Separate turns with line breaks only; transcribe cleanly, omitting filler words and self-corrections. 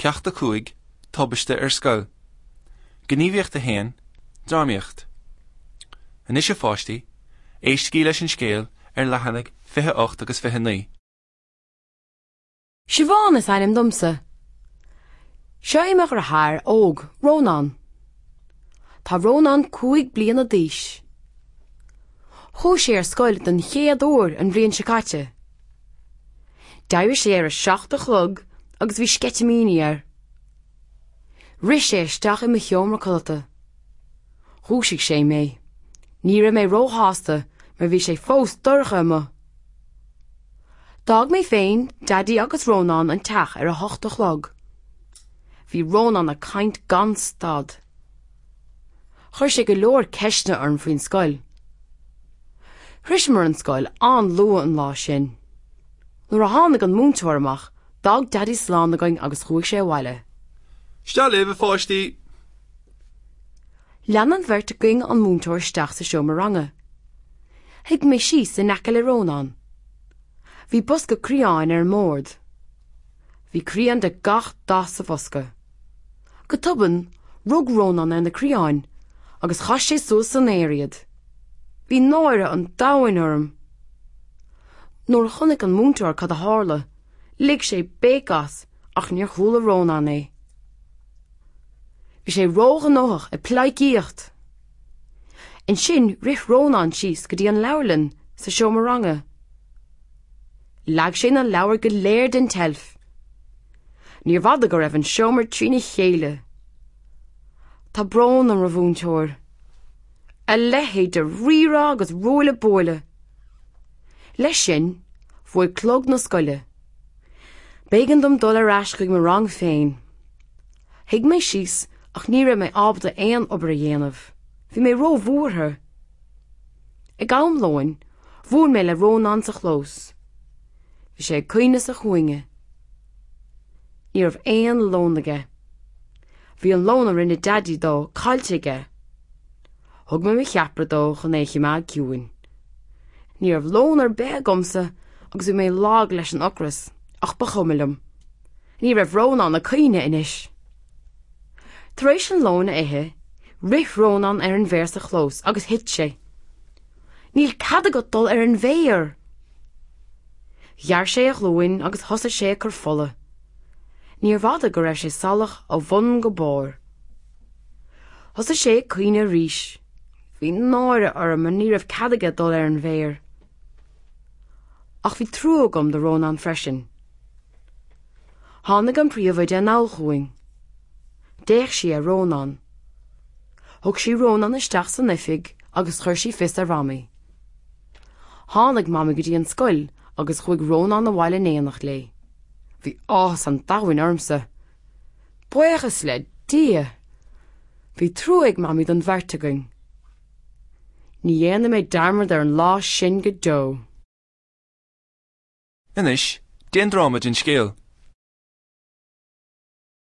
Ceacht 5, Tubaiste ar Scoil. Gníomhaíocht 1, Drámaíocht. Anois a pháistí, éistigí leis an scéal ar leathanaigh 28 agus 29.
Siobhán is ainm domsa. Seo é mo dheartháir óg, Rónán. Tá Rónán 5 bliana d'aois. Chuaigh sé ar scoil don chéad uair an bhliain seo caite. D'éirigh sé ar a 7 a chlog agus bhí sceitimíní air. Rith sé isteach i mo sheomra codlata. Dhúisigh sé mé. Ní raibh mé róshásta mar bhí sé fós dorcha amuigh. D'fhág mé féin, Daidí agus Rónán an teach ar a hocht a chlog. Bhí Rónán ag caint gan stad. Chuir sé go leor ceisteanna orm faoin scoil. Shroiseamar an scoil an-luath an lá sin. Nuair a tháinig an múinteoir amach, d'fhág Daidí slán againn agus chuaigh sé abhaile.
Isteach libh, a pháistí!
Lean an bheirt againn an múinteoir isteach sa seomra ranga. Shuigh mé síos in aice le Rónán. Bhí bosca criáin ar an mbord. Bhí criáin de gach dath sa bhosca. Go tobann, rug Rónán ar na criáin agus chaith sé suas san aer iad. Bhí náire an domhain orm. Nuair a chonaic an múinteoir cad a tharla, lig sé béic as ach níor chuala Rónán é. Bhí sé róghnóthach ag pleidhcíocht. Ansin rith Rónán síos go dtí an leabharlann sa seomra ranga. Leag sé na leabhair go léir den tseilf. Níorbh fhada go raibh an seomra trína chéile. Tá brón orm, a mhúinteoir. A leithéid de rírá agus ruaille buaille. Leis sin, bhuail clog na scoile. B'éigean dom dul ar ais chuig mo rang féin. Shuigh mé síos ach ní raibh mé ábalta aon obair a dhéanamh. Bhí mé róbhuartha. Ag am lóin, bhuail mé le Rónán sa chlós. Bhí sé ag caoineadh sa chúinne. Ní raibh aon lón aige. Bhí an lón a rinne Daidí dó caillte aige. Thug mé mo cheapaire dó chun é a choimeád ciúin. Ní raibh lón ar bith agamsa agus bhí mé lag leis an ocras, ach ba chuma liom. Ní raibh Rónán ag caoineadh anois. Tar éis an lóin a ithe, rith Rónán ar an bhféar sa chlós agus thit sé. Níl cead agat dul ar an bhféar! Ghearr sé a ghlúin agus thosaigh sé ag cur fola. Níorbh fhada go raibh sé salach ó bhun go barr. Thosaigh sé ag caoineadh arís. Bhí náire orm mar ní raibh cead aige dul ar an bhféar. Ach bhí trua agam do Rónán freisin. Tháinig an príomhoide anall chugainn. D'fhéach sí ar Rónán. Thug sí Rónán isteach san oifig agus chuir sí fios ar Mhamaí. Tháinig Mamaí go dtí an scoil agus chuaigh Rónán abhaile in éineacht léi. Bhí áthas an domhain ormsa. Buíochas le Dia! Bhí trua ag Mamaí don bheirt againn. Ní dhéanfaidh mé dearmad ar an lá sin go deo.
Anois, déan dráma den scéal.